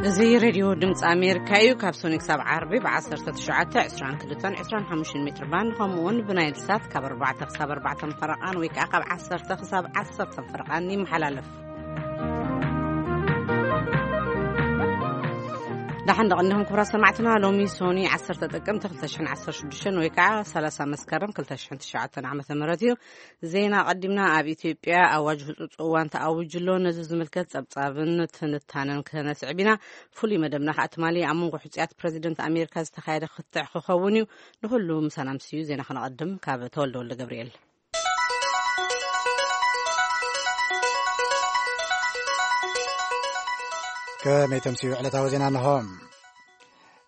እዚ ሬድዮ ድምፂ ኣሜሪካ እዩ። ካብ ሶኒ ክሳብ ዓርቢ ብ19፣ 22፣ 25 ሜትር ባንድ፣ ከምኡ እውን ብናይል ሳት ካብ ኣርባዕተ ክሳብ ኣርባዕተ ፈረቓን ወይ ከዓ ካብ ዓሰርተ ክሳብ ዓሰርተ ፈረቓን ይመሓላለፍ። ዳሓን ደቐንኹም ክቡራት ሰማዕትና፣ ሎሚ ሶኒ ዓሰርተ ጥቅምቲ ክልተ ሽሕን ዓሰርተ ሽዱሽተን ወይ ከዓ ሰላሳ መስከረም ክልተ ሽሕን ትሽዓተን ዓመተ ምህረት እዩ። ዜና ቀዲምና። ኣብ ኢትዮጵያ ኣዋጅ ህጹጽ እዋን ተኣዊጁ ኣሎ። ነዚ ዝምልከት ጸብጻብን ትንታነን ክነስዕብ ኢና። ፍሉይ መደብና ከኣ ትማሊ ኣብ መንጎ ሕጹያት ፕረዚደንት ኣሜሪካ ዝተኻየደ ክትዕ ክኸውን እዩ። ንኹሉ ምሳና ምስዩ ዜና ክነቐድም ካብ ተወልደ ወልደ ገብርኤል። ከመይ ተምስዩ ዕለታዊ ዜና እንሆ።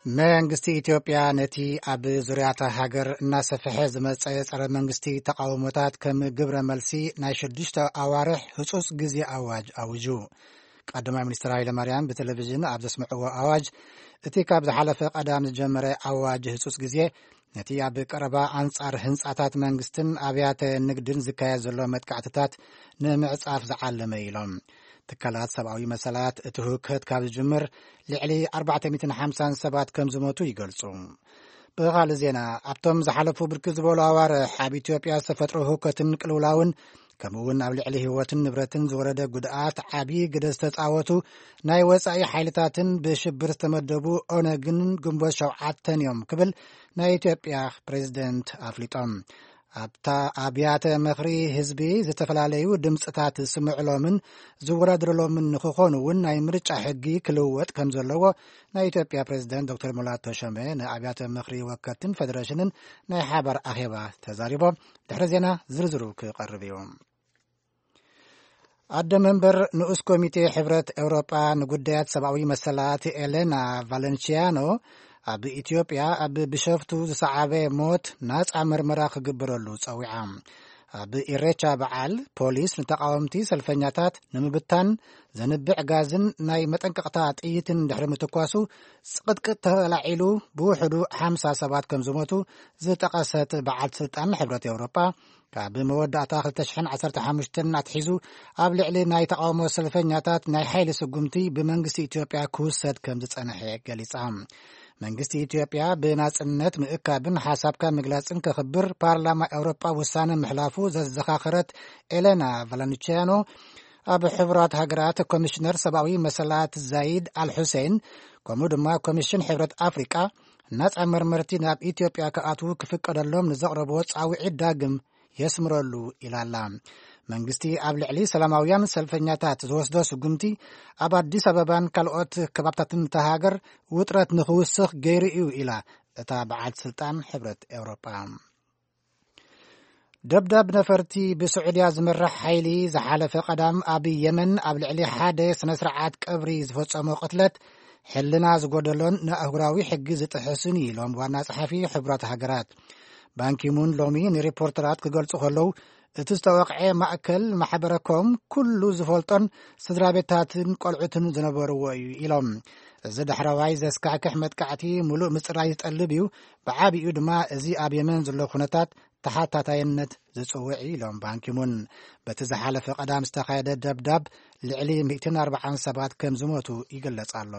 መንግስቲ ኢትዮጵያ ነቲ ኣብ ዙርያታ ሃገር እናሰፍሐ ዝመጸ ጸረ መንግስቲ ተቃውሞታት ከም ግብረ መልሲ ናይ ሽዱሽተ ኣዋርሕ ህጹጽ ግዜ ኣዋጅ ኣውጁ። ቀዳማይ ሚኒስትር ሃይለ ማርያም ብቴሌቪዥን ኣብ ዘስምዕዎ ኣዋጅ፣ እቲ ካብ ዝሓለፈ ቀዳም ዝጀመረ ኣዋጅ ህጹጽ ግዜ ነቲ ኣብ ቀረባ ኣንጻር ህንጻታት መንግስትን ኣብያተ ንግድን ዝካየድ ዘሎ መጥቃዕትታት ንምዕጻፍ ዝዓለመ ኢሎም። ትካላት ሰብኣዊ መሰላት እቲ ህውከት ካብ ዝጅምር ልዕሊ ኣርባዕተ ሚእትን ሓምሳን ሰባት ከም ዝሞቱ ይገልጹ። ብኻልእ ዜና፣ ኣብቶም ዝሓለፉ ብርክት ዝበሉ ኣዋርሕ ኣብ ኢትዮጵያ ዝተፈጥሮ ህውከትን ቅልውላውን ከምኡ እውን ኣብ ልዕሊ ህይወትን ንብረትን ዝወረደ ጉድኣት ዓቢ ግደ ዝተጻወቱ ናይ ወጻኢ ሓይልታትን ብሽብር ዝተመደቡ ኦነግን ግንቦት ሸውዓተን እዮም ክብል ናይ ኢትዮጵያ ፕሬዝደንት ኣፍሊጦም። ኣብታ ኣብያተ ምኽሪ ህዝቢ ዝተፈላለዩ ድምፅታት ዝስምዕሎምን ዝወዳደረሎምን ንክኾኑ እውን ናይ ምርጫ ሕጊ ክልወጥ ከም ዘለዎ ናይ ኢትዮጵያ ፕሬዝደንት ዶክተር ሙላቱ ተሾመ ንኣብያተ ምኽሪ ወከልትን ፌደሬሽንን ናይ ሓባር ኣኼባ ተዛሪቦም። ድሕሪ ዜና ዝርዝሩ ክቐርብ እዩ። ኣደ መንበር ንኡስ ኮሚቴ ሕብረት ኤውሮጳ ንጉዳያት ሰብኣዊ መሰላት ኤሌና ቫለንቺያኖ ኣብ ኢትዮጵያ ኣብ ብሸፍቱ ዝሰዓበ ሞት ናጻ መርመራ ክግበረሉ ጸዊዓ። ኣብ ኢሬቻ በዓል ፖሊስ ንተቃወምቲ ሰልፈኛታት ንምብታን ዘንብዕ ጋዝን ናይ መጠንቀቕታ ጥይትን ድሕሪ ምትኳሱ ጽቕጥቅጥ ተላዒሉ ብውሕዱ ሓምሳ ሰባት ከም ዝሞቱ ዝጠቐሰት በዓልቲ ስልጣን ሕብረት ኤውሮጳ ካብ መወዳእታ ክልተ ሽሕን ዓሰርተ ሓሙሽተን ኣትሒዙ ኣብ ልዕሊ ናይ ተቃውሞ ሰልፈኛታት ናይ ሓይሊ ስጉምቲ ብመንግስቲ ኢትዮጵያ ክውሰድ ከም ዝጸንሐ ገሊጻ። መንግስቲ ኢትዮጵያ ብናጽነት ምእካብን ሓሳብካ ምግላጽን ከኽብር ፓርላማ ኤውሮጳ ውሳነ ምሕላፉ ዘዘኻኸረት ኤሌና ቫለንቺያኖ፣ ኣብ ሕቡራት ሃገራት ኮሚሽነር ሰብኣዊ መሰላት ዛይድ ኣልሑሴን ከምኡ ድማ ኮሚሽን ሕብረት ኣፍሪቃ ናጻ መርመርቲ ናብ ኢትዮጵያ ክኣትዉ ክፍቀደሎም ንዘቕረብዎ ጻውዒት ዳግም የስምረሉ ኢላላ። መንግስቲ ኣብ ልዕሊ ሰላማውያን ሰልፈኛታት ዝወስዶ ስጉምቲ ኣብ ኣዲስ ኣበባን ካልኦት ከባብታትን እታ ሃገር ውጥረት ንኽውስኽ ገይሩ እዩ ኢላ እታ በዓልቲ ስልጣን ሕብረት ኤውሮጳ። ደብዳብ ነፈርቲ ብስዑድያ ዝምራሕ ሓይሊ ዝሓለፈ ቀዳም ኣብ የመን ኣብ ልዕሊ ሓደ ስነ ስርዓት ቀብሪ ዝፈጸሞ ቅትለት ሕልና ዝጎደሎን ንኣህጉራዊ ሕጊ ዝጥሕስን እዩ ኢሎም ዋና ጸሓፊ ሕቡራት ሃገራት። ባንኪሙን ሎሚ ንሪፖርተራት ክገልጹ ከለዉ፣ እቲ ዝተወቕዐ ማእከል ማሕበረኮም ኩሉ ዝፈልጦን ስድራ ቤታትን ቆልዑትን ዝነበርዎ እዩ ኢሎም። እዚ ዳሕረዋይ ዘስካሕክሕ መጥቃዕቲ ሙሉእ ምጽራይ ዝጠልብ እዩ። ብዓቢኡ ድማ እዚ ኣብ የመን ዘሎ ኩነታት ተሓታታይነት ዝጽውዕ እዩ ኢሎም ባንኪሙን። በቲ ዝሓለፈ ቀዳም ዝተኻየደ ደብዳብ ልዕሊ ሚእትን ኣርባዓን ሰባት ከም ዝሞቱ ይግለጽ ኣሎ።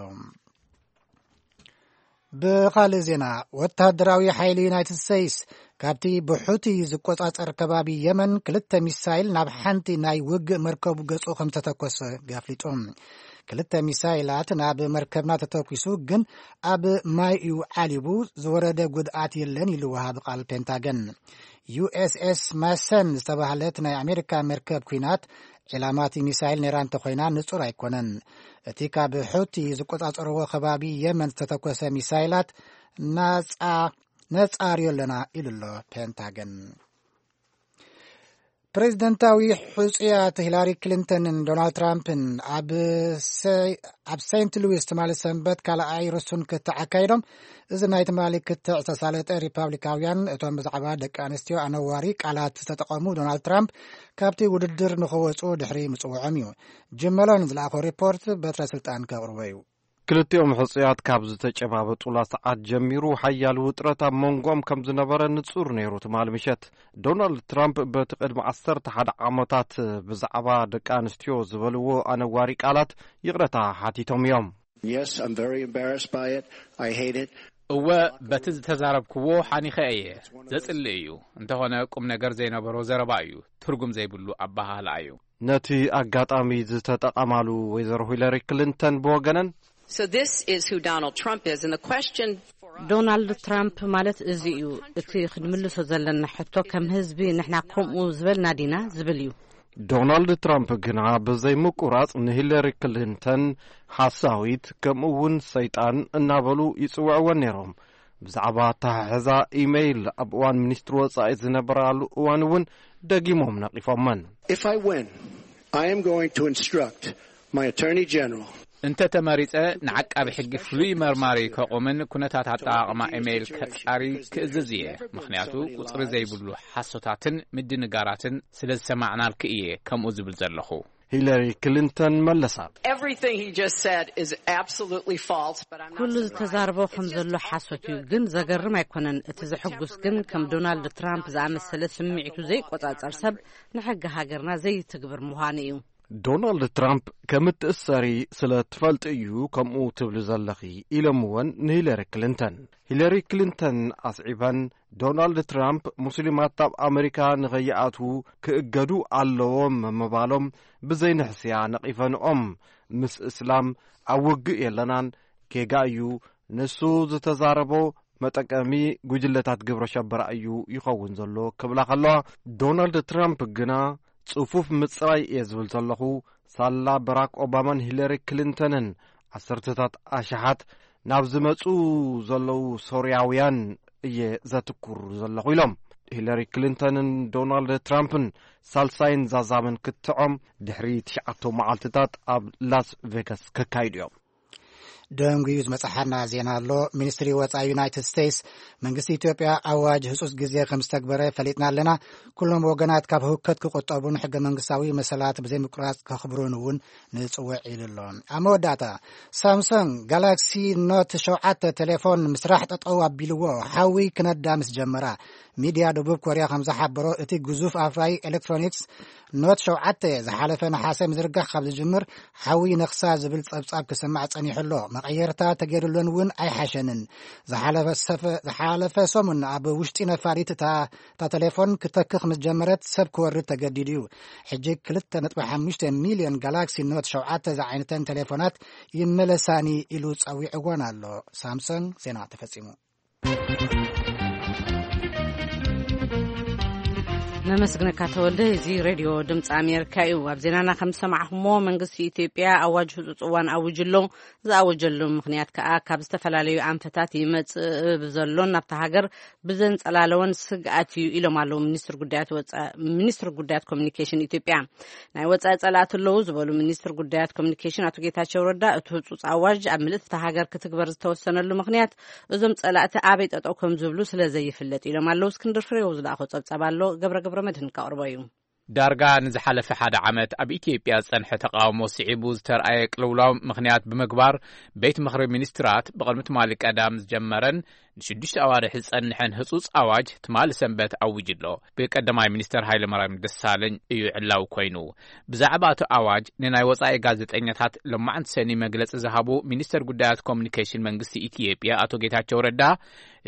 ብኻልእ ዜና፣ ወታደራዊ ሓይሊ ዩናይትድ ስቴትስ ካብቲ ብሑቲ ዝቆጻጸር ከባቢ የመን ክልተ ሚሳይል ናብ ሓንቲ ናይ ውግእ መርከቡ ገጹ ከም ዝተተኮሰ ኣፍሊጡ። ክልተ ሚሳይላት ናብ መርከብና ተተኩሱ፣ ግን ኣብ ማይ እዩ ዓሊቡ፣ ዝወረደ ጉድኣት የለን ኢሉ ወሃቢ ቃል ፔንታገን። ዩ ኤስ ኤስ ማሰን ዝተባህለት ናይ ኣሜሪካ መርከብ ኲናት ዒላማ እቲ ሚሳይል ነይራ እንተኾይና ንጹር ኣይኮነን። እቲ ካብ ሑቲ ዝቆጻጸርዎ ከባቢ የመን ዝተተኮሰ ሚሳይላት ናጻ ነጻርዮ ኣለና ኢሉ ኣሎ ፔንታገን። ፕሬዚደንታዊ ሕጹያት ሂላሪ ክሊንተንን ዶናልድ ትራምፕን ኣብ ሰ-፣ ኣብ ሴንት ሉዊስ ትማሊ ሰንበት ካልኣይ ርሱን ክትዕ ኣካይዶም። እዚ ናይ ትማሊ ክትዕ ዝተሳለጠ ሪፓብሊካውያን እቶም ብዛዕባ ደቂ ኣንስትዮ ኣነዋሪ ቃላት ዝተጠቐሙ ዶናልድ ትራምፕ ካብቲ ውድድር ንኽወጹ ድሕሪ ምጽውዖም እዩ። ጅም መሎን ዝለኣኾ ሪፖርት በትረ ስልጣን ከቕርቦ እዩ። ክልቲኦም ሕጹያት ካብ ዝተጨባበጡላ ሰዓት ጀሚሩ ሓያል ውጥረት ኣብ መንጎኦም ከም ዝነበረ ንጹር ነይሩ። ትማሊ ምሸት ዶናልድ ትራምፕ በቲ ቅድሚ ዓሰርተ ሓደ ዓመታት ብዛዕባ ደቂ ኣንስትዮ ዝበልዎ ኣነዋሪ ቃላት ይቕረታ ሓቲቶም እዮም። Yes, I'm very embarrassed by it. I hate it. እወ፣ በቲ ዝተዛረብክዎ ሓኒኸ እየ። ዘጽልእ እዩ። እንተኾነ ቁም ነገር ዘይነበሮ ዘረባ እዩ። ትርጉም ዘይብሉ ኣበሃህላ እዩ። ነቲ ኣጋጣሚ ዝተጠቐማሉ ወይዘሮ ሂለሪ ክሊንተን ብወገነን፣ So this is who Donald Trump is, and the question for us ዶናልድ ትራምፕ ማለት እዚ እዩ። እቲ ክንምልሶ ዘለና ሕቶ፣ ከም ህዝቢ ንሕና ከምኡ ዝበልና ዲና ዝብል እዩ። ዶናልድ ትራምፕ ግና ብዘይ ምቁራጽ ንሂለሪ ክሊንተን ሓሳዊት፣ ከምኡ እውን ሰይጣን እናበሉ ይጽውዕወን ነይሮም። ብዛዕባ ኣተሓሕዛ ኢሜይል ኣብ እዋን ሚኒስትሪ ወጻኢ ዝነበራሉ እዋን እውን ደጊሞም ነቒፎመን። If I win, I am going to instruct my Attorney General. እንተ ተመሪጸ፣ ንዓቃቢ ሕጊ ፍሉይ መርማሪ ከቑምን ኩነታት ኣጠቓቕማ ኢሜይል ከጻሪ ክእዝዝ እየ። ምኽንያቱ፣ ቁጽሪ ዘይብሉ ሓሶታትን ምድንጋራትን ስለ ዝሰማዕናልኪ እየ ከምኡ ዝብል ዘለኹ። ሂለሪ ክሊንተን መለሳ። Everything he just said is absolutely false, but I'm not ኩሉ surprised. ዝተዛረቦ ከም ዘሎ ሓሶት እዩ፣ ግን ዘገርም ኣይኮነን። እቲ ዘሕጉስ ግን፣ ከም ዶናልድ ትራምፕ ዝኣመሰለ ስምዒቱ ዘይቆጻጸር ሰብ ንሕጊ ሃገርና ዘይትግብር ምዃኑ እዩ። ዶናልድ ትራምፕ ከም እትእሰሪ ስለ ትፈልጢ እዩ ከምኡ ትብሊ ዘለኺ፣ ኢሎምወን ንሂለሪ ክሊንተን። ሂለሪ ክሊንተን ኣስዒበን፣ ዶናልድ ትራምፕ ሙስሊማት ኣብ ኣመሪካ ንኸይኣትዉ ክእገዱ ኣለዎም ምባሎም ብዘይንሕስያ ነቒፈንኦም። ምስ እስላም ኣብ ውግእ የለናን፣ ጌጋ እዩ። ንሱ ዝተዛረቦ መጠቀሚ ጉጅለታት ግብረ ሸበራ እዩ ይኸውን ዘሎ ክብላ ከለዋ፣ ዶናልድ ትራምፕ ግና ጽፉፍ ምጽራይ እየ ዝብል ዘለኹ፣ ሳላ በራክ ኦባማን ሂለሪ ክሊንተንን ዓሰርተታት ኣሽሓት ናብ ዝመጹ ዘለዉ ሶርያውያን እየ ዘትኩር ዘለኹ ኢሎም። ሂለሪ ክሊንተንን ዶናልድ ትራምፕን ሳልሳይን ዛዛምን ክትዖም ድሕሪ ትሽዓተ መዓልትታት ኣብ ላስ ቬጋስ ከካይዱ እዮም። ደንጉዩ ዝመጽሓና ዜና ኣሎ። ሚኒስትሪ ወጻኢ ዩናይትድ ስቴትስ፣ መንግስቲ ኢትዮጵያ ኣዋጅ ህጹጽ ግዜ ከም ዝተግበረ ፈሊጥና ኣለና። ኩሎም ወገናት ካብ ህውከት ክቁጠቡን ሕገ መንግስታዊ መሰላት ብዘይምቁራጽ ከኽብሩን እውን ንጽውዕ ኢሉ ኣሎ። ኣብ መወዳእታ፣ ሳምሰንግ ጋላክሲ ኖት ሸውዓተ ቴሌፎን ምስራሕ ጠጠው ኣቢልዎ፣ ሓዊ ክነዳ ምስ ጀመራ። ሚድያ ደቡብ ኮርያ ከም ዝሓበሮ፣ እቲ ግዙፍ ኣፍራይ ኤሌክትሮኒክስ ኖት ሸውዓተ ዝሓለፈ ነሓሰ ምዝርጋሕ ካብ ዝጅምር፣ ሓዊ ነኽሳ ዝብል ጸብጻብ ክስማዕ ጸኒሑ ኣሎ። መቐየርታ ተገይሩለን እውን ኣይሓሸንን። ዝሓለፈ ሰፈ-፣ ዝሓለፈ ሰሙን ኣብ ውሽጢ ነፋሪት እታ፣ እታ ቴሌፎን ክተክኽ ምስ ጀመረት ሰብ ክወርድ ተገዲዱ እዩ። ሕጂ ክልተ ነጥቢ ሓሙሽተ ሚልዮን ጋላክሲ ኖት ሸውዓተ ዝዓይነተን ቴሌፎናት ይመለሳኒ ኢሉ ጸዊዕወን ኣሎ። ሳምሰንግ ዜና ተፈጺሙ። ነመስግነካ ተወልደ። እዚ ሬድዮ ድምፂ ኣሜሪካ እዩ። ኣብ ዜናና ከም ዝሰማዕኹሞ፣ መንግስቲ ኢትዮጵያ ኣዋጅ ህፁፅ እዋን ኣዊጁ ኣሎ። ዝኣወጀሉ ምኽንያት ከዓ ካብ ዝተፈላለዩ ኣንፈታት ይመፅእ ብዘሎን ናብታ ሃገር ብዘንፀላለወን ስግኣት እዩ ኢሎም ኣለዉ ሚኒስትር ጉዳያት ወፃ-፣ ሚኒስትር ጉዳያት ኮሚኒኬሽን ኢትዮጵያ። ናይ ወፃኢ ፀላእቲ ኣለዉ ዝበሉ ሚኒስትር ጉዳያት ኮሚኒኬሽን ኣቶ ጌታቸው ረዳ፣ እቲ ህፁፅ ኣዋጅ ኣብ ምልእቲ እታ ሃገር ክትግበር ዝተወሰነሉ ምኽንያት እዞም ጸላእቲ ኣበይ ጠጠው ከም ዝብሉ ስለ ዘይፍለጥ ኢሎም ኣለዉ። እስክንድር ፍሬው ዝለኣኾ ጸብጻብ ኣሎ፣ ገብረ ገብረ መድህን ካቕርቦ እዩ። ዳርጋ ንዝሓለፈ ሓደ ዓመት ኣብ ኢትዮጵያ ዝጸንሐ ተቃውሞ ስዒቡ ዝተርኣየ ቅልውላው ምኽንያት ብምግባር፣ ቤት ምኽሪ ሚኒስትራት ብቕድሚ ትማሊ ቀዳም ዝጀመረን ንሽዱሽተ ኣዋርሕ ዝጸንሐን ህጹጽ ኣዋጅ ትማሊ ሰንበት ኣዊጁ ኣሎ። ብቀዳማይ ሚኒስተር ሃይለማርያም ደሳለኝ እዩ ዕላዊ ኮይኑ። ብዛዕባ እቲ ኣዋጅ ንናይ ወጻኢ ጋዜጠኛታት ሎማዕንቲ ሰኒ መግለጺ ዝሃቡ ሚኒስተር ጉዳያት ኮሚኒኬሽን መንግስቲ ኢትዮጵያ ኣቶ ጌታቸው ረዳ፣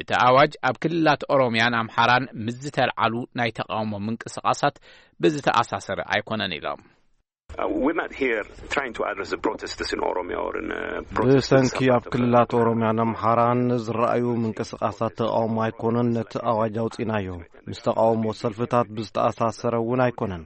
እቲ ኣዋጅ ኣብ ክልላት ኦሮሚያን ኣምሓራን ምስ ዝተልዓሉ ናይ ተቃውሞ ምንቅስቃሳት ብዝተኣሳሰረ ኣይኮነን ኢሎም። Uh, we're not here trying to address the protests in Oromia or in, uh, protests in ብሰንኪ ኣብ ክልላት ኦሮሚያን ኣምሓራን ዝረኣዩ ምንቅስቃሳት ተቃውሞ ኣይኮነን ነቲ ኣዋጅ ኣውፂናዮ። ምስ ተቃውሞ ሰልፍታት ብዝተኣሳሰረ እውን ኣይኮነን።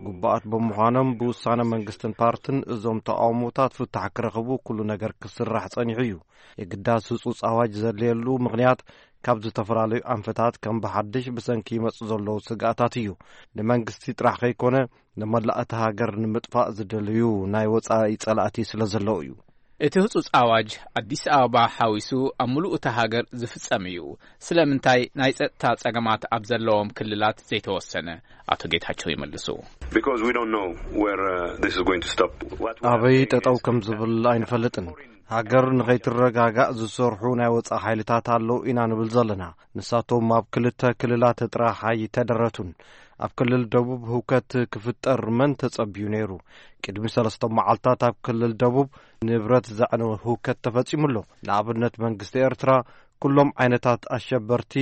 ግቡኣት ብምዃኖም ብውሳነ መንግስትን ፓርትን እዞም ተቃውሞታት ፍታሕ ክረኽቡ ኩሉ ነገር ክስራሕ ጸኒሑ እዩ። የግዳስ ህጹጽ ኣዋጅ ዘድልየሉ ምኽንያት ካብ ዝተፈላለዩ ኣንፈታት ከም ብሓድሽ ብሰንኪ ይመጹ ዘለዉ ስግኣታት እዩ። ንመንግስቲ ጥራሕ ከይኮነ ንመላእ እታ ሃገር ንምጥፋእ ዝደልዩ ናይ ወጻኢ ጸላእቲ ስለ ዘለዉ እዩ። እቲ ህጹጽ ኣዋጅ ኣዲስ ኣበባ ሓዊሱ ኣብ ምሉእ እታ ሃገር ዝፍጸም እዩ። ስለምንታይ ናይ ጸጥታ ጸገማት ኣብ ዘለዎም ክልላት ዘይተወሰነ? ኣቶ ጌታቸው ይመልሱ። Because we don't know where, uh, this is going to stop. What we are ኣበይ saying ጠጠው is ከም ዝብል ኣይንፈልጥን። ሃገር ንኸይትረጋጋእ ዝሰርሑ ናይ ወጻኢ ሓይልታት ኣለዉ ኢና ንብል ዘለና። ንሳቶም ኣብ ክልተ ክልላት ጥራሕ ኣይተደረቱን። ኣብ ክልል ደቡብ ህውከት ክፍጠር መን ተጸብዩ ነይሩ? ቅድሚ ሰለስተ መዓልታት ኣብ ክልል ደቡብ ንብረት ዘዕነወ ህውከት ተፈጺሙ ኣሎ። ንኣብነት መንግስቲ ኤርትራ ኩሎም ዓይነታት ኣሸበርቲ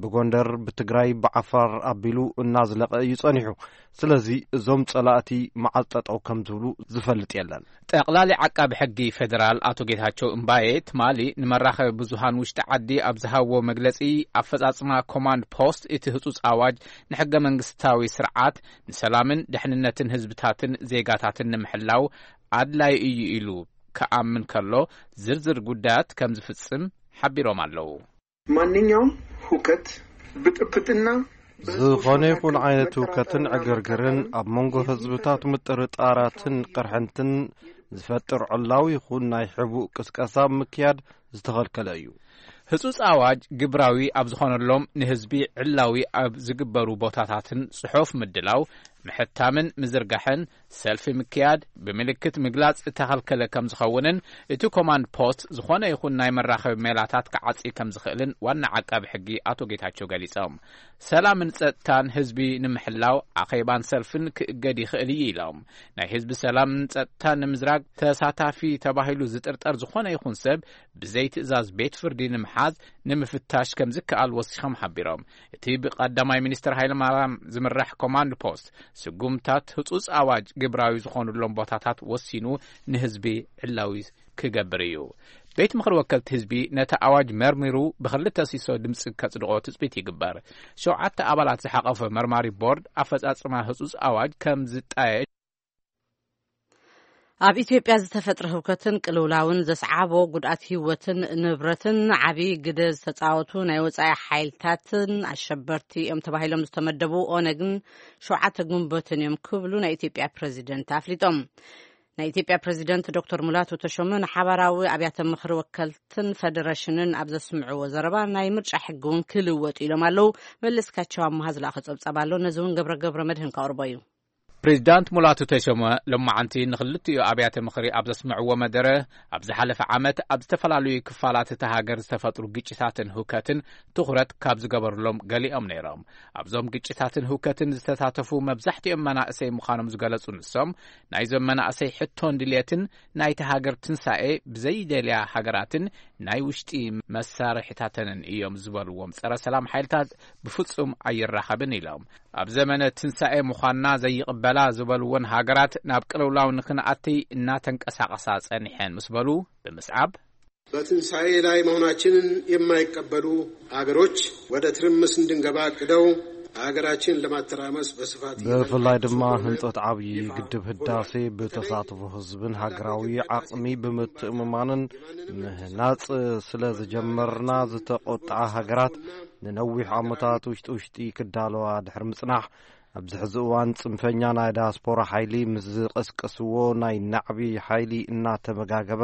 ብጎንደር፣ ብትግራይ፣ ብዓፋር ኣቢሉ እናዝለቐ እዩ ጸኒሑ። ስለዚ እዞም ጸላእቲ መዓዝ ጠጠው ከም ዝብሉ ዝፈልጥ የለን። ጠቕላሊ ዓቃቢ ሕጊ ፌደራል ኣቶ ጌታቸው እምባዬ ትማሊ ንመራኸቢ ብዙሃን ውሽጢ ዓዲ ኣብ ዝሃብዎ መግለጺ፣ ኣፈጻጽማ ኮማንድ ፖስት እቲ ህጹጽ ኣዋጅ ንሕገ መንግስታዊ ስርዓት፣ ንሰላምን ድሕንነትን ህዝብታትን ዜጋታትን ንምሕላው ኣድላይ እዩ ኢሉ ክኣምን ከሎ፣ ዝርዝር ጉዳያት ከም ዝፍጽም ሓቢሮም ኣለዉ። ማንኛውም ሁከት፣ ብጥብጥና ዝኾነ ይኹን ዓይነት ህውከትን ዕግርግርን ኣብ መንጎ ህዝብታት ምጥርጣራትን ቅርሕንትን ዝፈጥር ዕላዊ ይኹን ናይ ሕቡእ ቅስቀሳ ምክያድ ዝተኸልከለ እዩ። ህጹጽ ኣዋጅ ግብራዊ ኣብ ዝኾነሎም ንህዝቢ ዕላዊ ኣብ ዝግበሩ ቦታታትን ጽሑፍ ምድላው፣ ምሕታምን ምዝርጋሕን፣ ሰልፊ ምክያድ፣ ብምልክት ምግላጽ እተኸልከለ ከም ዝኸውንን እቲ ኮማንድ ፖስት ዝኾነ ይኹን ናይ መራኸቢ ሜላታት ክዓጺ ከም ዝኽእልን ዋና ዓቃቢ ሕጊ ኣቶ ጌታቸው ገሊጾም። ሰላምን ጸጥታን ህዝቢ ንምሕላው ኣኼባን ሰልፍን ክእገድ ይኽእል እዩ ኢሎም። ናይ ህዝቢ ሰላምን ጸጥታን ንምዝራግ ተሳታፊ ተባሂሉ ዝጥርጠር ዝኾነ ይኹን ሰብ ብዘይ ትእዛዝ ቤት ፍርዲ ንምሓዝ ንምፍታሽ ከም ዝከኣል ወሲኾም ሓቢሮም። እቲ ብቀዳማይ ሚኒስትር ሃይለማርያም ዝምራሕ ኮማንድ ፖስት ስጉምታት ህጹጽ ኣዋጅ ግብራዊ ዝኾኑሎም ቦታታት ወሲኑ ንህዝቢ ዕላዊ ክገብር እዩ። ቤት ምኽሪ ወከልቲ ህዝቢ ነቲ ኣዋጅ መርሚሩ ብክልተ ሲሶ ድምፂ ከጽድቆ ትጽቢት ይግበር። ሸውዓተ ኣባላት ዝሓቐፈ መርማሪ ቦርድ ኣፈጻጽማ ህጹጽ ኣዋጅ ከም ዝጣየ ኣብ ኢትዮጵያ ዝተፈጥረ ህውከትን ቅልውላውን ዘስዓቦ ጉድኣት ህይወትን ንብረትን ዓቢ ግደ ዝተጻወቱ ናይ ወጻኢ ሓይልታትን ኣሸበርቲ እዮም ተባሂሎም ዝተመደቡ ኦነግን ሸውዓተ ግንቦትን እዮም ክብሉ ናይ ኢትዮጵያ ፕሬዚደንት ኣፍሊጦም። ናይ ኢትዮጵያ ፕሬዚደንት ዶክተር ሙላቱ ተሾመ ንሓባራዊ ኣብያተ ምኽሪ ወከልትን ፌደሬሽንን ኣብ ዘስምዕዎ ዘረባ፣ ናይ ምርጫ ሕጊ እውን ክልወጥ ኢሎም ኣለዉ። መለስካቸው ኣመሃ ዝለኣኸ ጸብጻብ ኣሎ። ነዚ እውን ገብረ ገብረ መድህን ከቕርቦ እዩ። ፕሬዚዳንት ሙላቱ ተሾመ ሎማዓንቲ ንክልቲኡ ኣብያተ ምኽሪ ኣብ ዘስምዕዎ መደረ፣ ኣብ ዝሓለፈ ዓመት ኣብ ዝተፈላለዩ ክፋላት እታ ሃገር ዝተፈጥሩ ግጭታትን ህውከትን ትኹረት ካብ ዝገበሩሎም ገሊኦም ነይሮም። ኣብዞም ግጭታትን ህውከትን ዝተሳተፉ መብዛሕትኦም መናእሰይ ምዃኖም ዝገለጹ ንሶም፣ ናይዞም መናእሰይ ሕቶን ድልየትን ናይቲ ሃገር ትንሳኤ ብዘይደልያ ሃገራትን ናይ ውሽጢ መሳርሒታተንን እዮም ዝበልዎም ጸረ ሰላም ሓይልታት ብፍጹም ኣይራኸብን ኢሎም። ኣብ ዘመነ ትንሳኤ ምዃንና ዘይቕበላ ዝበልወን ሃገራት ናብ ቅልውላው ንክንኣትይ እናተንቀሳቐሳ ጸኒሐን ምስ በሉ ብምስዓብ፣ በትንሳኤ ላይ መሆናችንን የማይቀበሉ አገሮች ወደ ትርምስ እንድንገባ አቅደው አገራችንን ለማተራመስ በስፋት ብፍላይ ድማ ህንጸት ዓብዪ ግድብ ህዳሴ ብተሳትፎ ህዝብን ሃገራዊ ዓቕሚ ብምትእምማንን ምህናጽ ስለ ዝጀመርና ዝተቆጥዓ ሃገራት ንነዊሕ ዓመታት ውሽጢ ውሽጢ ክዳለዋ ድሕሪ ምጽናሕ ኣብዚ ሕዚ እዋን ጽንፈኛ ናይ ዳያስፖራ ሓይሊ ምስ ዝቐስቀስዎ ናይ ናዕቢ ሓይሊ እናተመጋገበ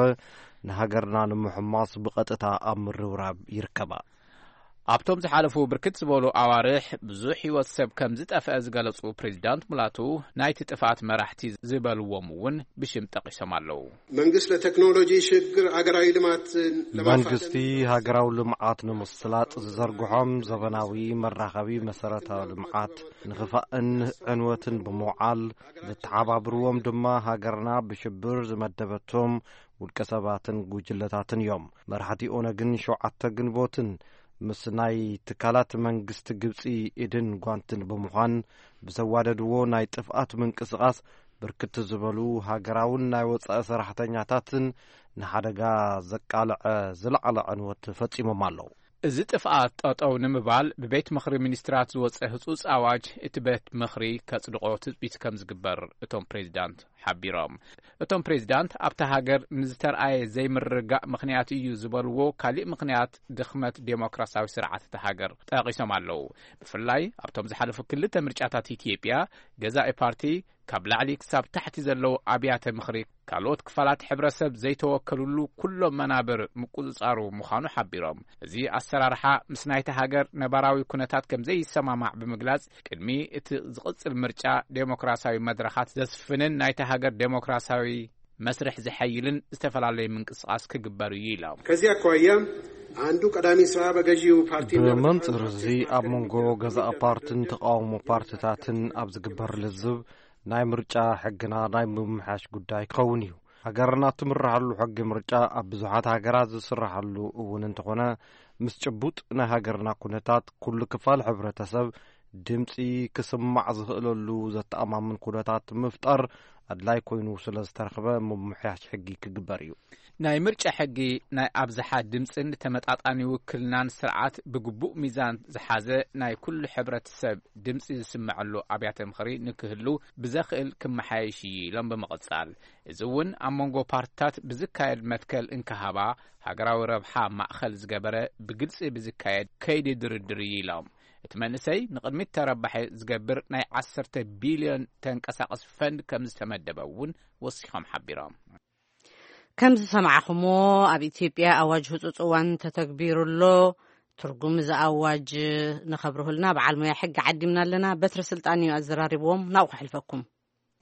ንሃገርና ንምሕማስ ብቐጥታ ኣብ ምርብራብ ይርከባ። ኣብቶም ዝሓለፉ ብርክት ዝበሉ ኣዋርሕ ብዙሕ ህይወት ሰብ ከም ዝጠፍአ ዝገለጹ ፕሬዚዳንት ሙላቱ ናይቲ ጥፍኣት መራሕቲ ዝበልዎም እውን ብሽም ጠቒሶም ኣለዉ። መንግስት ለቴክኖሎጂ ሽግግር አገራዊ ልማት መንግስቲ ሃገራዊ ልምዓት ንምስላጥ ዝዘርግሖም ዘበናዊ መራኸቢ መሰረተ ልምዓት ንኽፋእን ዕንወትን ብምውዓል ዝተሓባብርዎም ድማ ሃገርና ብሽብር ዝመደበቶም ውልቀ ሰባትን ጉጅለታትን እዮም። መራሕቲ ኦነግን ሸውዓተ ግንቦትን ምስ ናይ ትካላት መንግስቲ ግብጺ ኢድን ጓንትን ብምዃን ብዘዋደድዎ ናይ ጥፍኣት ምንቅስቓስ ብርክት ዝበሉ ሃገራውን ናይ ወጻኢ ሰራሕተኛታትን ንሓደጋ ዘቃልዐ ዝለዓለ ዕንወት ፈጺሞም ኣለዉ። እዚ ጥፍኣት ጠጠው ንምባል ብቤት ምኽሪ ሚኒስትራት ዝወጸ ህጹጽ ኣዋጅ እቲ ቤት ምኽሪ ከጽድቆ ትጽቢት ከም ዝግበር እቶም ፕሬዚዳንት ሓቢሮም። እቶም ፕሬዚዳንት ኣብታ ሃገር ንዝተርኣየ ዘይምርግጋእ ምኽንያት እዩ ዝበልዎ ካሊእ ምኽንያት ድኽመት ዴሞክራሲያዊ ስርዓት እታ ሃገር ጠቒሶም ኣለዉ። ብፍላይ ኣብቶም ዝሓለፉ ክልተ ምርጫታት ኢትዮጵያ ገዛኢ ፓርቲ ካብ ላዕሊ ክሳብ ታሕቲ ዘለዉ ኣብያተ ምኽሪ ካልኦት ክፋላት ሕብረተሰብ ዘይተወከልሉ ኩሎም መናብር ምቁጽጻሩ ምዃኑ ሓቢሮም። እዚ ኣሰራርሓ ምስ ናይታ ሃገር ነባራዊ ኩነታት ከም ዘይሰማማዕ ብምግላጽ ቅድሚ እቲ ዝቕጽል ምርጫ ዴሞክራሲያዊ መድረኻት ዘስፍንን ናይታ ሃገር ዴሞክራሲያዊ መስርሕ ዝሐይልን ዝተፈላለዩ ምንቅስቃስ ክግበር እዩ ኢሎም። ከዚህ አኳያ አንዱ ቀዳሚ ስራ በገዢው ፓርቲና ብመንፅር እዚ ኣብ መንጎ ገዛእ ፓርትን ተቃውሞ ፓርትታትን ኣብ ዝግበር ልዝብ ናይ ምርጫ ሕግና ናይ ምምሕያሽ ጉዳይ ክኸውን እዩ። ሃገርና ትምርሃሉ ሕጊ ምርጫ ኣብ ብዙሓት ሃገራት ዝስራሓሉ እውን እንተኾነ፣ ምስ ጭቡጥ ናይ ሃገርና ኩነታት ኩሉ ክፋል ሕብረተሰብ ድምፂ ክስማዕ ዝኽእለሉ ዘተኣማምን ኩነታት ምፍጣር ኣድላይ ኮይኑ ስለ ዝተረኽበ ምምሕያሽ ሕጊ ክግበር እዩ። ናይ ምርጫ ሕጊ ናይ ኣብዝሓ ድምፅን ተመጣጣኒ ውክልናን ስርዓት ብግቡእ ሚዛን ዝሓዘ፣ ናይ ኩሉ ሕብረተሰብ ድምፂ ዝስምዐሉ ኣብያተ ምኽሪ ንክህሉ ብዘኽእል ክመሓየሽ እዩ ኢሎም ብምቕፃል፣ እዚ እውን ኣብ መንጎ ፓርትታት ብዝካየድ መትከል እንክሃባ ሃገራዊ ረብሓ ማእኸል ዝገበረ ብግልፂ ብዝካየድ ከይዲ ድርድር እዩ ኢሎም። እቲ መንእሰይ ንቕድሚት ተረባሒ ዝገብር ናይ ዓሰርተ ቢልዮን ተንቀሳቐስ ፈንድ ከም ዝተመደበ እውን ወሲኾም ሓቢሮም። ከም ዝሰማዕኹሞ ኣብ ኢትዮጵያ ኣዋጅ ህፁፅ እዋን ተተግቢሩ ኣሎ። ትርጉም እዚ ኣዋጅ ንኸብርሁልና በዓል ሞያ ሕጊ ዓዲምና ኣለና። በትሪ ስልጣን እዩ ኣዘራሪብዎም። ናብኡ ክሕልፈኩም።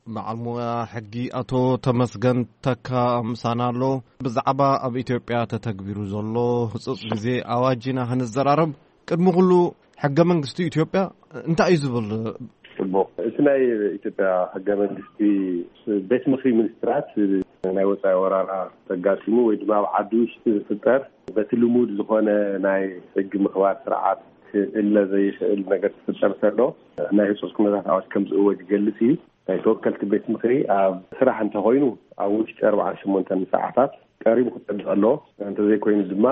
በዓል ሞያ ሕጊ ኣቶ ተመስገን ተካ ምሳና ኣሎ። ብዛዕባ ኣብ ኢትዮጵያ ተተግቢሩ ዘሎ ህፁፅ ግዜ ኣዋጅ ኢና ክንዘራረብ። ቅድሚ ኩሉ ሕገ መንግስቲ ኢትዮጵያ እንታይ እዩ ዝብል? ጽቡቕ። እቲ ናይ ኢትዮጵያ ሕገ መንግስቲ ቤት ምኽሪ ሚኒስትራት ናይ ወጻኢ ወራራ ተጋጢሙ ወይ ድማ ኣብ ዓዲ ውሽጢ ዝፍጠር በቲ ልሙድ ዝኾነ ናይ ሕጊ ምኽባር ስርዓት ክእለ ዘይኽእል ነገር ክፍጠር ከሎ ናይ ህጹጽ ኩነታት ኣዋጅ ከም ዝእወጅ ይገልጽ እዩ። ናይ ተወከልቲ ቤት ምኽሪ ኣብ ስራሕ እንተኾይኑ ኣብ ውሽጢ ኣርባዓን ሸሞንተን ሰዓታት ቀሪቡ ክጸድቕ ኣለዎ። እንተዘይኮይኑ ድማ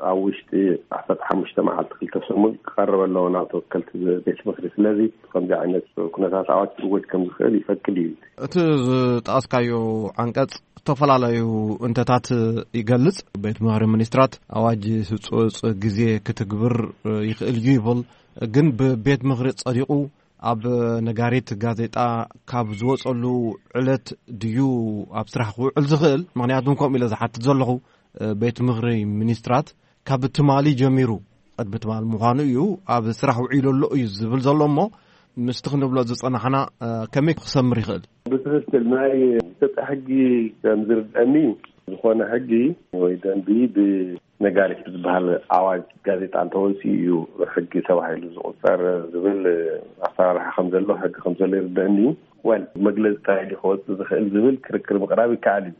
ኣብ ውሽጢ ዓሰርተ ሓሙሽተ መዓልቲ ክልተ ሰሙን ክቐርብ ኣለዎ ናብ ተወከልቲ ቤት ምኽሪ። ስለዚ ከምዚ ዓይነት ኩነታት ኣዋጅ ክእወጅ ከም ዝኽእል ይፈቅድ እዩ። እቲ ዝጠቐስካዮ ዓንቀጽ ዝተፈላለዩ እንተታት ይገልጽ። ቤት ምኽሪ ሚኒስትራት ኣዋጅ ህጹጽ ግዜ ክትግብር ይኽእል እዩ ይብል። ግን ብቤት ምኽሪ ጸዲቑ ኣብ ነጋሪት ጋዜጣ ካብ ዝወጸሉ ዕለት ድዩ ኣብ ስራሕ ክውዕል ዝኽእል? ምኽንያቱም ከምኡ ኢለ ዝሓትት ዘለኹ ቤት ምኽሪ ሚኒስትራት ካብ ትማሊ ጀሚሩ፣ ቅድሚ ትማሊ ምዃኑ እዩ፣ ኣብ ስራሕ ውዒሉ ኣሎ እዩ ዝብል ዘሎ። እሞ ምስቲ ክንብሎ ዝጸናሕና ከመይ ክሰምር ይኽእል? ብትኽክል ናይ ኢትዮጵያ ሕጊ ከም ዝርድአኒ ዝኾነ ሕጊ ወይ ደንቢ ብነጋሪት ብዝበሃል ኣዋጅ ጋዜጣ እንተወፂኡ እዩ ሕጊ ተባሂሉ ዝቑፀር ዝብል ኣሰራርሓ ከም ዘሎ ሕጊ ከም ዘሎ ይርደአኒ እዩ። ወል መግለፂ እንታይ ድዩ ክወፅእ ዝኽእል ዝብል ክርክር ምቕራብ ይከኣል እዩ።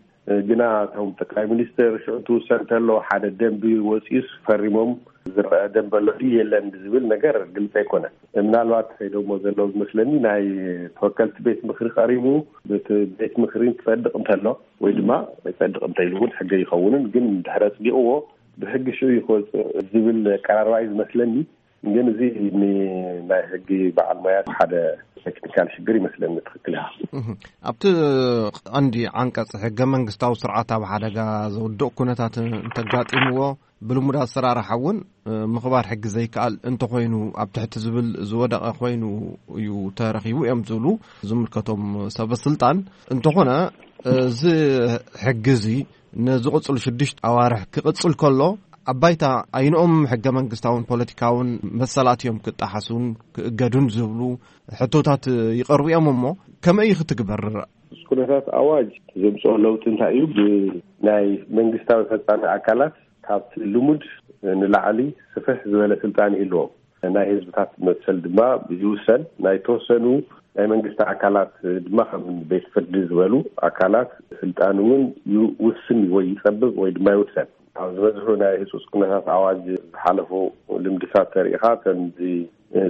ግና እቶም ጠቅላይ ሚኒስትር ሽዑ ትውሰን እንተሎ ሓደ ደንቢ ወፂኡስ ፈሪሞም ዝረአ ደንቢ ኣሎ ድዩ የለን ዝብል ነገር ግልፂ ኣይኮነን። ምናልባት ከይደሞ ዘለዉ ዝመስለኒ ናይ ተወከልቲ ቤት ምኽሪ ቀሪቡ ቤት ምኽሪ ክፀድቕ እንተሎ ወይ ድማ ኣይፀድቕ እንተይሉ እውን ሕገ ይኸውንን ግን ድሕሪ ኣፅዲቕዎ ብሕጊ ሽዑ ይክወፅእ ዝብል ኣቀራርባ እዩ ዝመስለኒ። ግን እዚ ናይ ሕጊ በዓል ሞያ ሓደ ቴክኒካል ሽግር ይመስለኒ። ትኽክል ኢኻ። ኣብቲ ቀንዲ ዓንቀፅ ሕገ መንግስታዊ ስርዓት ኣብ ሓደጋ ዘውድቕ ኩነታት እንተጋጢምዎ ብልሙድ ኣሰራርሓ እውን ምኽባር ሕጊ ዘይከኣል እንተኾይኑ ኣብ ትሕቲ ዝብል ዝወደቐ ኮይኑ እዩ ተረኺቡ እዮም ዝብሉ ዝምልከቶም ሰበ ስልጣን። እንተኾነ እዚ ሕጊ እዚ ንዝቕፅሉ ሽዱሽተ ኣዋርሕ ክቕፅል ከሎ ኣብ ባይታ ኣይንኦም ሕገ መንግስታውን ፖለቲካውን መሰላት እዮም ክጠሓሱን ክእገዱን ዝብሉ ሕቶታት ይቐርቡ እዮም። እሞ ከመይ እዩ ክትግበር? ኩነታት ኣዋጅ ዘምፅኦ ለውጢ እንታይ እዩ? ብናይ መንግስታዊ ፈፃሚ ኣካላት ካብቲ ልሙድ ንላዕሊ ስፍሕ ዝበለ ስልጣን ይህልዎም። ናይ ህዝብታት መሰል ድማ ይውሰን። ናይ ተወሰኑ ናይ መንግስቲ ኣካላት ድማ ከም ቤት ፍርዲ ዝበሉ ኣካላት ስልጣን እውን ይውስን ወይ ይፀብብ ወይ ድማ ይውሰን። ኣብ ዝበዝሑ ናይ ህፁፅ ኩነታት ኣዋጅ ዝሓለፉ ልምድታት ተሪኢኻ ከምዚ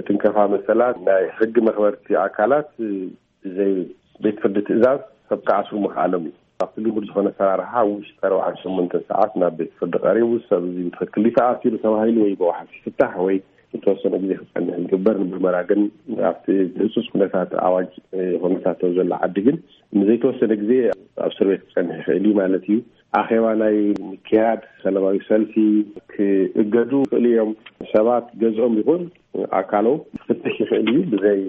ትንከፋ መሰላት ናይ ሕጊ መኽበርቲ ኣካላት ብዘይ ቤት ፍርዲ ትእዛዝ ሰብ ክኣስሩ ምኽኣሎም እዩ። ኣብቲ ልሙድ ዝኾነ ኣሰራርሓ ውሽጢ ኣርባዓን ሸሞንተን ሰዓት ናብ ቤት ፍርዲ ቀሪቡ ሰብ እዚ ብትኽክል ተኣሲሩ ተባሂሉ ወይ ብዋሕስ ይፍታሕ ወይ ዝተወሰነ ግዜ ክፀንሕ ይግበር። ንምርመራ ግን ኣብቲ ህፁፅ ኩነታት ኣዋጅ ኩነታት ዘሎ ዓዲ ግን ንዘይተወሰነ ግዜ ኣብ እስር ቤት ክፀንሕ ይኽእል እዩ ማለት እዩ። ኣኼባ ናይ ምክያድ ሰላማዊ ሰልፊ ክእገዱ ይኽእሉ እዮም። ሰባት ገዝኦም ይኹን ኣካሎም ክፍተሽ ይኽእል እዩ ብዘይ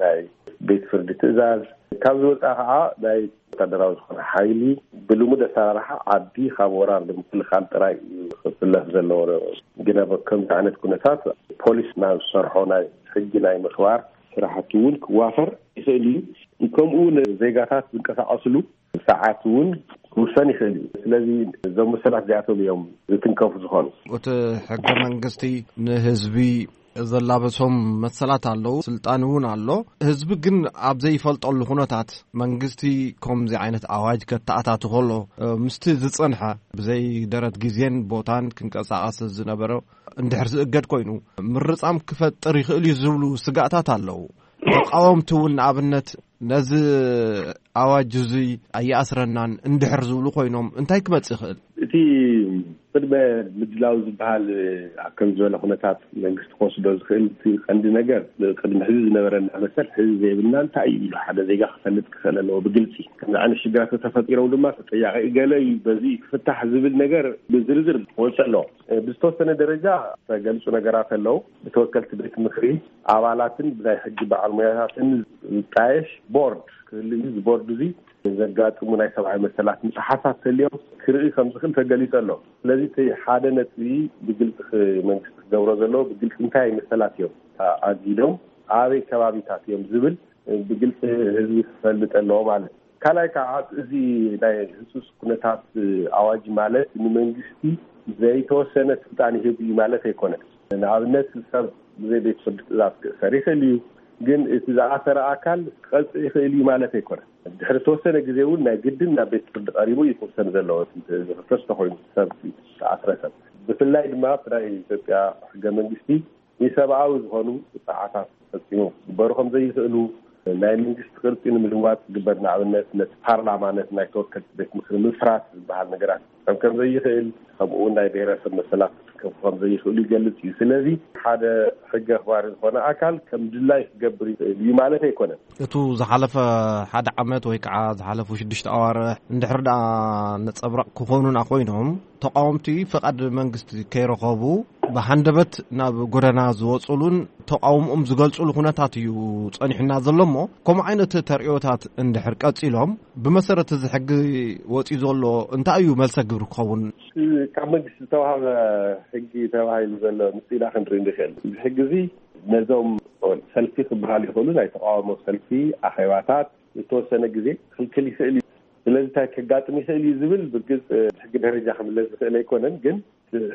ናይ ቤት ፍርዲ ትእዛዝ። ካብ ዝወፃ ከዓ ናይ ወታደራዊ ዝኾነ ሓይሊ ብልሙድ ኣሰራርሓ ዓዲ ካብ ወራር ንምክልኻል ጥራይ እዩ ክፍለፍ ዘለዎ። ግና ከምዚ ዓይነት ኩነታት ፖሊስ ናብ ዝሰርሖ ናይ ሕጊ ናይ ምኽባር ስራሕቲ እውን ክዋፈር ይኽእል እዩ። ከምኡ እውን ዜጋታት ዝንቀሳቀስሉ ሰዓት እውን ክውሰን ይኽእል እዩ። ስለዚ እዞም መሰላት እዚኣቶም እዮም ዝትንከፉ ዝኾኑ። እቲ ሕገ መንግስቲ ንህዝቢ ዘላበሶም መሰላት ኣለዉ፣ ስልጣን እውን ኣሎ። ህዝቢ ግን ኣብ ዘይፈልጠሉ ኩነታት መንግስቲ ከምዚ ዓይነት ኣዋጅ ከተኣታቱ ከሎ፣ ምስቲ ዝጸንሐ ብዘይ ደረት ግዜን ቦታን ክንቀሳቐስ ዝነበረ እንድሕር ዝእገድ ኮይኑ፣ ምርጻም ክፈጥር ይኽእል እዩ ዝብሉ ስጋእታት ኣለዉ። ተቃወምቲ እውን ንኣብነት ነዚ ኣዋጅ እዚ ኣየኣስረናን እንድሕር ዝብሉ ኮይኖም እንታይ ክመጽእ ይኽእል? እቲ ቅድመ ምድላው ዝበሃል ኣብ ከም ዝበለ ኩነታት መንግስቲ ክወስዶ ዝኽእል እቲ ቀንዲ ነገር፣ ቅድሚ ሕዚ ዝነበረና መሰል ሕዚ ዘይብልና እንታይ እዩ ኢሉ ሓደ ዜጋ ክፈልጥ ክኽእል ኣለዎ ብግልጺ። ከምዚ ዓይነት ሽግራት ተፈጢሮም ድማ ተጠያቂ ገለ እዩ፣ በዚ ክፍታሕ ዝብል ነገር ብዝርዝር ክወጽእ ኣለዎ። ብዝተወሰነ ደረጃ ዝተገልጹ ነገራት ኣለዉ። ብተወከልቲ ቤት ምኽሪ ኣባላትን ብናይ ሕጊ በዓል ሞያታትን ዝጣየሽ ቦርድ ክህሉ እዩ። እዚ ቦርድ እዚ ዘጋጥሙ ናይ ሰብኣዊ መሰላት ምጥሓሳት ተልዮም ክርኢ ከም ዝኽእል ተገሊጹ ኣሎ። ስለዚ እቲ ሓደ ነጥቢ ብግልጺ ክ-፣ መንግስቲ ክገብሮ ዘለዎ ብግልጺ እንታይ መሰላት እዮም ኣጊዶም፣ ኣበይ ከባቢታት እዮም ዝብል ብግልጺ ህዝቢ ክፈልጥ ኣለዎ ማለት እዩ። ካልኣይ ከዓ እዚ ናይ ህጹጽ ኩነታት ኣዋጅ ማለት ንመንግስቲ ዘይተወሰነ ስልጣን ይህብ እዩ ማለት ኣይኮነን። ንኣብነት ሰብ ብዘይ ቤት ፍርዲ ትእዛዝ ክእሰር ይኽእል እዩ፣ ግን እቲ ዝኣሰረ ኣካል ክቐጽእ ይኽእል እዩ ማለት ኣይኮነን። ድሕሪ ተወሰነ ግዜ እውን ናይ ግድን ናብ ቤት ፍርዲ ቀሪቡ እዩ ክውሰን ዘለዎ። እቲ ዝኽሰስ ተኮይኑ ሰብ ዝኣስረ ሰብ፣ ብፍላይ ድማ ብናይ ኢትዮጵያ ሕገ መንግስቲ ንሰብኣዊ ዝኾኑ ጥቃዓታት ፈጺሞም ክግበሩ ከም ዘይኽእሉ፣ ናይ መንግስቲ ቅርጺ ንምልዋጥ ዝግበር፣ ንኣብነት ነቲ ፓርላማ፣ ነቲ ናይ ተወከልቲ ቤት ምኽሪ ምፍራስ ዝበሃል ነገራት ከም ከም ዘይኽእል፣ ከምኡ እውን ናይ ብሔረሰብ መሰላት ክከፉ ከም ዘይኽእሉ ይገልጽ እዩ። ስለዚ ሓደ ሕጊ ኣኽባሪ ዝኾነ ኣካል ከም ድላይ ክገብር ይኽእል እዩ ማለት ኣይኮነን። እቱ ዝሓለፈ ሓደ ዓመት ወይ ከዓ ዝሓለፉ ሽዱሽተ ኣዋርሕ እንድሕር ደኣ ነጸብራቕ ክኾኑና ኮይኖም፣ ተቃወምቲ ፍቓድ መንግስቲ ከይረኸቡ ብሃንደበት ናብ ጎደና ዝወጽሉን ተቃውሞኦም ዝገልጹሉ ኩነታት እዩ ጸኒሑና ዘሎ እሞ፣ ከምኡ ዓይነት ተርእዮታት እንድሕር ቀጺሎም፣ ብመሰረት እዚ ሕጊ ወጺኡ ዘሎ እንታይ እዩ መልሰ ግብሪ ክኸውን? ካብ መንግስቲ ዝተዋህበ ሕጊ ተባሂሉ ዘሎ ምስጢና ክንርኢ ንኽእል። እዚ ሕጊ እዚ ነዞም ሰልፊ ክበሃል ይኽእሉ፣ ናይ ተቃውሞ ሰልፊ፣ ኣኼባታት፣ ዝተወሰነ ግዜ ክልክል ይኽእል እዩ። ስለዚ እንታይ ከጋጥም ይኽእል እዩ ዝብል ብግልፂ ሕጊ ደረጃ ክምለስ ዝኽእል ኣይኮነን። ግን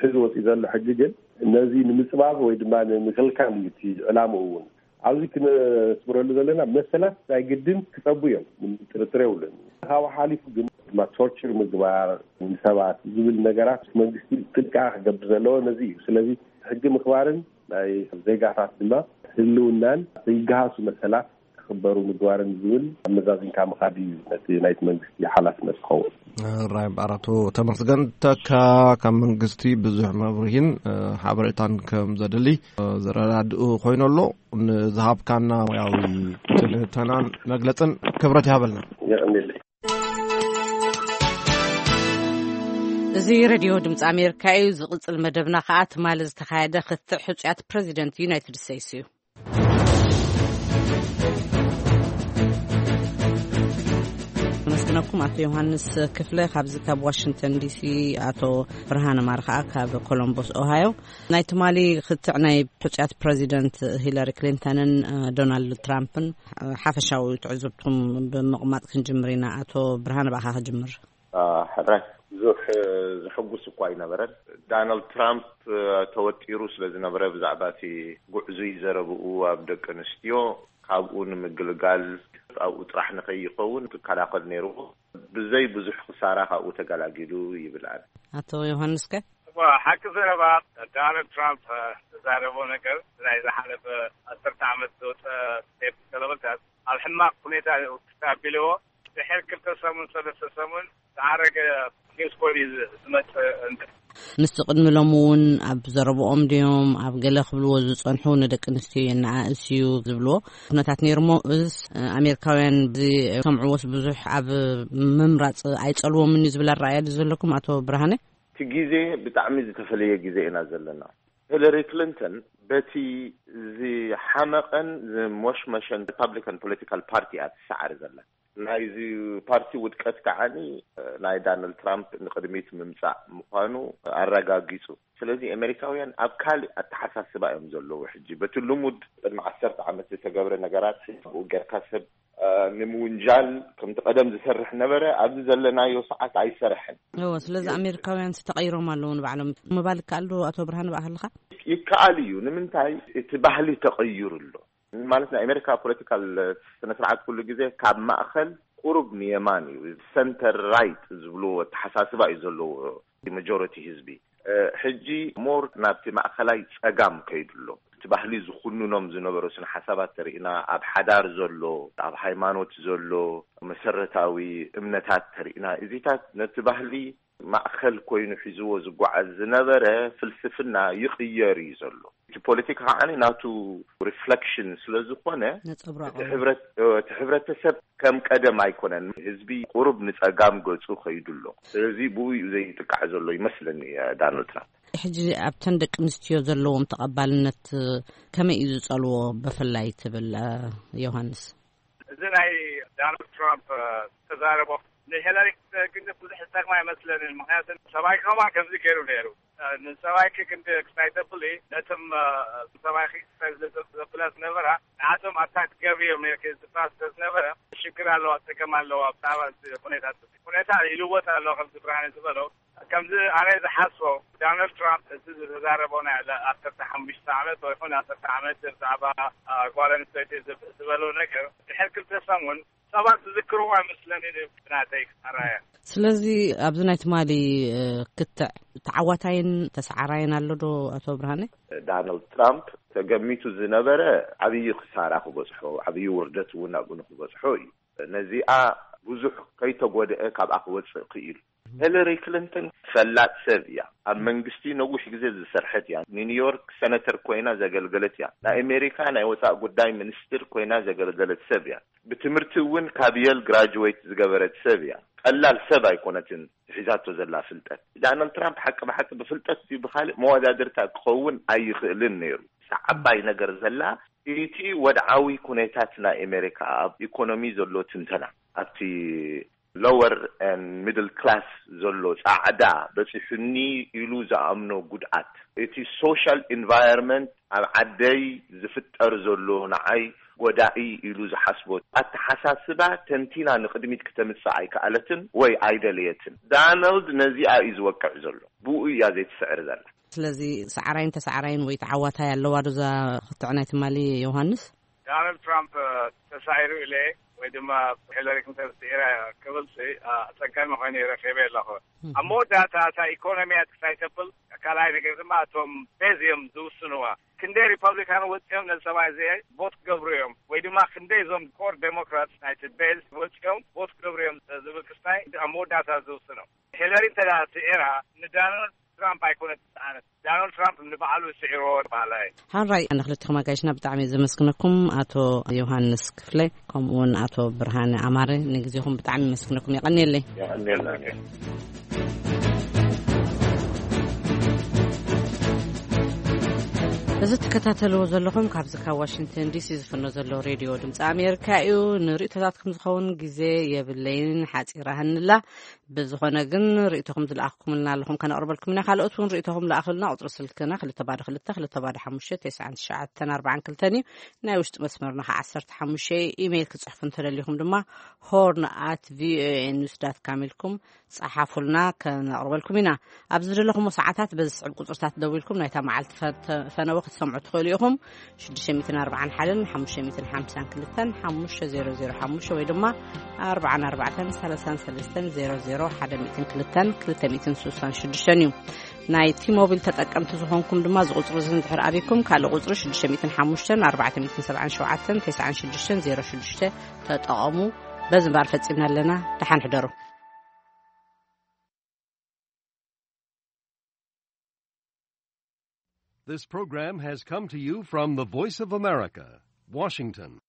ሕዚ ወፂኡ ዘሎ ሕጊ ግን ነዚ ንምፅባብ ወይ ድማ ንምክልካል እዩ እቲ ዕላምኡ እውን። ኣብዚ ክነስምረሉ ዘለና መሰላት ናይ ግድን ክፀቡ እዮም፣ ምንም ጥርጥር የብሉን። ካብኡ ሓሊፉ ግን ድማ ቶርቸር ምግባር ንሰባት ዝብል ነገራት መንግስቲ ጥንቃቐ ክገብር ዘለዎ ነዚ እዩ። ስለዚ ሕጊ ምኽባርን ናይ ዜጋታት ድማ ህልውናን ዘይገሃሱ መሰላት ክኽበሩ ምግባርን ዝብል ኣመዛዚንካ ምኻድ እዩ ነቲ ናይቲ መንግስቲ ሓላፍነት ዝኸውን። ራይ በኣራቱ ተመስገን ተካ ካብ መንግስቲ ብዙሕ መብርሂን ሓበሬታን ከም ዘድሊ ዘረዳድኡ ኮይኑ ኣሎ። ንዝሃብካና ሙያዊ ትንተናን መግለጽን ክብረት ይሃበልና። የቐንየለይ። እዚ ሬድዮ ድምፂ ኣሜሪካ እዩ። ዝቕፅል መደብና ከዓ ትማሊ ዝተኻየደ ክትዕ ሕፁያት ፕሬዚደንት ዩናይትድ ስቴትስ እዩ። ኣመስግነኩም ኣቶ ዮሃንስ ክፍለ ካብዚ ካብ ዋሽንግተን ዲሲ፣ ኣቶ ብርሃነ ማር ከዓ ካብ ኮሎምቦስ ኦሃዮ። ናይ ትማሊ ክትዕ ናይ ሕፁያት ፕሬዚደንት ሂለሪ ክሊንተንን ዶናልድ ትራምፕን ሓፈሻዊ ትዕዝብትኩም ብምቕማጥ ክንጅምር ኢና። ኣቶ ብርሃነ ብኣኻ ክጅምር። ሕራይ ብዙሕ ዘሐጉስ እኳ ኣይነበረን። ዳናልድ ትራምፕ ተወጢሩ ስለ ዝነበረ ብዛዕባ እቲ ጉዕዙይ ዘረብኡ ኣብ ደቂ ኣንስትዮ ካብኡ ንምግልጋል ኣብኡ ጥራሕ ንኸይኸውን ክከላኸል ነይርዎ። ብዘይ ብዙሕ ክሳራ ካብኡ ተገላጊሉ ይብል ኣነ። ኣቶ ዮሃንስ ከ? እዋ፣ ሓቂ ዘረባ ዳናልድ ትራምፕ ዝዛረቦ ነገር ናይ ዝሓለፈ ዓሰርተ ዓመት ዝወፀ ቴፕ ተለበልታት ኣብ ሕማቕ ሁኔታ እዩ ክስታቢልዎ ድሕር ክልተ ሰሙን ሰለስተ ሰሙን ዝዓረገ ኒውስ ኮድ እዩ ዝመፅእ። እንተ ምስቲ ቅድሚ ሎም እውን ኣብ ዘረብኦም ድዮም ኣብ ገለ ክብልዎ ዝፀንሑ ንደቂ ኣንስትዮ የነኣእስ እዩ ዝብልዎ ኩነታት ነይሩ እሞ እስ ኣሜሪካውያን ዝሰምዕዎስ ብዙሕ ኣብ ምምራፅ ኣይፀልዎምን እዩ ዝብል ኣረኣእያ ድዩ ዘለኩም ኣቶ ብርሃነ? እቲ ግዜ ብጣዕሚ ዝተፈለየ ግዜ ኢና ዘለና። ሂለሪ ክሊንተን በቲ ዝሓመቐን ዝሞሽመሸን ሪፓብሊካን ፖለቲካል ፓርቲ እያ ትሰዓር ዘላ። ናይዚ ፓርቲ ውድቀት ከዓኒ ናይ ዳናልድ ትራምፕ ንቅድሚት ምምፃእ ምዃኑ ኣረጋጊፁ። ስለዚ ኣሜሪካውያን ኣብ ካልእ ኣተሓሳስባ እዮም ዘለዉ። ሕጂ በቲ ልሙድ ቅድሚ ዓሰርተ ዓመት ዝተገብረ ነገራት ኣብኡ ጌርካ ሰብ እ፣ ንምውንጃል ከምቲ ቀደም ዝሰርሕ ነበረ። ኣብዚ ዘለናዮ ሰዓት ኣይሰርሕን። እዎ፣ ስለዚ ኣሜሪካውያን ተቐይሮም ኣለዉ ንባዕሎም ምባል ይከኣል ዶ? ኣቶ ብርሃን፣ ብኣኸልኻ? ይከኣል እዩ። ንምንታይ? እቲ ባህሊ ተቐይሩ ኣሎ። ማለት፣ ናይ ኣሜሪካ ፖለቲካል ስነ ስርዓት ኩሉ ግዜ ካብ ማእኸል ቁሩብ ንየማን እዩ፣ ሰንተር ራይት ዝብልዎ ኣተሓሳስባ እዩ ዘለዎ። ማጆሪቲ ህዝቢ፣ እ፣ ሕጂ ሞር ናብቲ ማእኸላይ ጸጋም ከይዱ ኣሎ። እቲ ባህሊ ዝኹንኖም ዝነበሩ ስነ ሓሳባት ተሪእና፣ ኣብ ሓዳር ዘሎ፣ ኣብ ሃይማኖት ዘሎ መሰረታዊ እምነታት ተሪእና፣ እዚታት ነቲ ባህሊ ማእከል ኮይኑ ሒዝዎ ዝጓዓዝ ዝነበረ ፍልስፍና ይቕየር እዩ ዘሎ። እቲ ፖለቲካ ከዓኒ ናቱ ሪፍሌክሽን ስለ ዝኾነ፣ ነጸብራቕ እቲ ሕብረት-፣ እቲ ሕብረተሰብ ከም ቀደም ኣይኮነን። ህዝቢ ቁሩብ ንጸጋም ገጹ ከይዱ ኣሎ። ስለዚ ብኡ እዩ ዘይጥቃዕ ዘሎ ይመስለኒ፣ እ፣ ዳናልድ ትራምፕ። ሕጂ ኣብተን ደቂ ኣንስትዮ ዘለዎም ተቐባልነት ከመይ እዩ ዝጸልዎ ብፍላይ ትብል፣ እ፣ ዮሃንስ? እዚ ናይ ዳናልድ ትራምፕ፣ እ፣ ተዛረቦ ንሂላሪ ክሊንተን ብዙሕ ዝጠቅማ ኣይመስለንን። ምክንያቱ ሰብኣይ ከማ ከምዚ ገይሩ ነይሩ። እ፣ ንሰብኣይኪ ክንዲ ኤክሳይተብል ነቶም፣ እ፣ ሰብኣይኪ ኤክሳይት ዘብላ ዝነበራ ንዓቶም ኣታክ ትገብሪ እዮም ነርኪ ዝብላ ስለ ዝነበረ ሽግር ኣለዋ፣ ጸገም ኣለዋ። ብዛዕባ እዚ ኩነታት፣ እዚ ኩነታ ይልወጥ ኣሎ ከምዚ ብርሃነ ዝበሎ። ከምዚ ኣነ ዝሓስቦ ዳናልድ ትራምፕ እዚ ዝተዛረቦ ናይ ለ-፣ ዓሰርተ ሓሙሽተ ዓመት ወይ ኮነ ዓሰርተ ዓመት ብዛዕባ፣ አ፣ ጓል ኣንስተይቲ ዝብ-፣ ዝበሎ ነገር ድሕሪ ክልተ ሰሙን ሰባት ዝዝክርዎ ኣይመስለንን እዩ ብናተይ ኣራያ። ስለዚ ኣብዚ ናይ ትማሊ፣ እ፣ ክትዕ ተዓዋታይን ተሰዓራይን ኣሎ ዶ ኣቶ ብርሃነ? ዳናልድ ትራምፕ ተገሚቱ ዝነበረ ዓብዪ ክሳራ ክበጽሖ፣ ዓብዪ ውርደት እውን ኣብኡ ንክበጽሖ እዩ። ነዚኣ ብዙሕ ከይተጎድአ ካብኣ ክወጽእ ክኢሉ። ሂለሪ ክሊንተን ፈላጥ ሰብ እያ። ኣብ መንግስቲ ነዊሕ ግዜ ዝሰርሐት እያ። ንኒውዮርክ ሰነተር ኮይና ዘገልገለት እያ። ናይ ኣሜሪካ ናይ ወጻእ ጉዳይ ሚኒስትር ኮይና ዘገልገለት ሰብ እያ። ብትምህርቲ እውን ካብ የል ግራጅዌት ዝገበረት ሰብ እያ። ቀላል ሰብ ኣይኮነትን ሒዛቶ ዘላ ፍልጠት። ዳናልድ ትራምፕ ሓቂ ብሓቂ ብፍልጠት እዩ፣ ብኻልእ መወዳድርታ ክኸውን ኣይኽእልን ነይሩ። እዛ ዓባይ ነገር ዘላ እቲ ወድዓዊ ኩነታት ናይ ኣሜሪካ ኣብ ኢኮኖሚ ዘሎ ትንተና ኣብቲ ሎወር ኤንድ ሚድል ክላስ ዘሎ ጻዕዳ በጺሑኒ ኢሉ ዝኣምኖ ጉድኣት፣ እቲ ሶሻል ኢንቫይሮንመንት ኣብ ዓደይ ዝፍጠር ዘሎ ንዓይ ጎዳኢ ኢሉ ዝሓስቦ ኣተሓሳስባ ተንቲና ንቕድሚት ክተምጽእ ኣይከኣለትን ወይ ኣይደለየትን። ዳናልድ ነዚኣ እዩ ዝወቅዕ ዘሎ። ብኡ እያ ዘይትስዕር ዘላ። ስለዚ ሰዓራይን ተሰዓራይን ወይ ተዓዋታይ ኣለዋ ዶ እዛ ክትዕ ናይ ትማሊ ዮሃንስ? ዳናልድ ትራምፕ ተሳዒሩ ኢለ ወይ ድማ ሂለሪ ክሊንተን ስዒራ ክብል ሲ፣ አ፣ ኣጸጋሚ ኮይኑ ረኺበ ኣለኹ። እም። ኣብ መወዳእታ እታ ኢኮኖሚ እያ ትክሳይ ተብል። ካልኣይ ነገር ድማ እቶም ቤዝ እዮም ዝውስንዋ። ክንደይ ሪፐብሊካን ወፂኦም ነዚ ሰብኣይ እዚ ቮት ክገብሩ እዮም ወይ ድማ ክንደይ እዞም ኮር ዴሞክራትስ ናይቲ ቤዝ ወፂኦም ቮት ክገብሩ እዮም ዝብል ክስታይ ኣብ መወዳእታ ዝውስኖ። ሂለሪ እንተ ደኣ ስዒራ ንዳናልድ ትራምፕ ኣይኮነት ዝሰኣነት። ዳናልድ ትራምፕ ንባዕሉ ስዒርዎ በሃላይ። ሓራይ፣ ንክልቲኹም ኣጋይሽና ብጣዕሚ ዘመስግነኩም፣ ኣቶ ዮሃንስ ክፍለ ከምኡ እውን ኣቶ ብርሃነ ኣማረ፣ ንግዜኹም ብጣዕሚ የመስግነኩም። የቐንየለይ። የቐንየልና። እዚ ትከታተልዎ ዘለኹም ካብዚ ካብ ዋሽንግተን ዲሲ ዝፍኖ ዘሎ ሬድዮ ድምፂ ኣሜሪካ እዩ። ንርእቶታትኩም ዝኸውን ግዜ የብለይን፣ ሓፂራ ህንላ። ብዝኾነ ግን ርእይቶኹም ዝለኣኽኩምልና ኣለኹም ከነቕርበልኩም ኢና። ካልኦት እውን ርእይቶኹም ለኣኽልና። ቁፅሪ ስልክና ክልተ ባዶ ክልተ፣ ክልተ ባዶ ሓሙሽተ፣ ተስዓን ትሽዓተን ኣርባዓን ክልተን እዩ። ናይ ውሽጢ መስመርና ከዓ ዓሰርተ ሓሙሽተ እዩ። ኢሜይል ክፅሕፉ እንተደሊኹም ድማ ሆርን ኣት ቪኦኤ ኒውስ ዳት ካም ኢልኩም ፀሓፉልና፣ ከነቕርበልኩም ኢና። ኣብ ዝደለኹምዎ ሰዓታት በዚ ዝስዕብ ቁፅርታት ደዊልኩም ናይታ መዓልቲ ፈተ-፣ ፈነወ ክትሰምዑ ትኽእሉ ኢኹም። ሽዱሽተ ሚእትን ኣርባዓን ሓደን ሓሙሽተ ሚእትን ሓምሳን ክልተን ሓሙሽተ ዜሮ ዜሮ ሓሙሽተ ወይ ድማ ኣርባዓን ኣርባዕተን ሰላሳን ሰለስተን ዜሮ ዜሮ ሓደ ሚእትን ክልተን ክልተ ሚእትን ስሳን ሽዱሽተን እዩ። ናይ ቲ-ሞቢል ተጠቀምቲ ዝኾንኩም ድማ እዚ ቁፅሪ እዚ እንድሕር ኣቢኩም ካልእ ቁፅሪ ሽዱሽተ ሚእትን ሓሙሽተን ኣርባዕተ ሚእትን ሰብዓን ሸውዓተን ተስዓን ሽዱሽተን ዜሮ ሽዱሽተ ተጠቐሙ። በዚ እምበኣር ፈፂምና ኣለና። ደሓን ሕደሩ። This program has come to you from the Voice of America, Washington.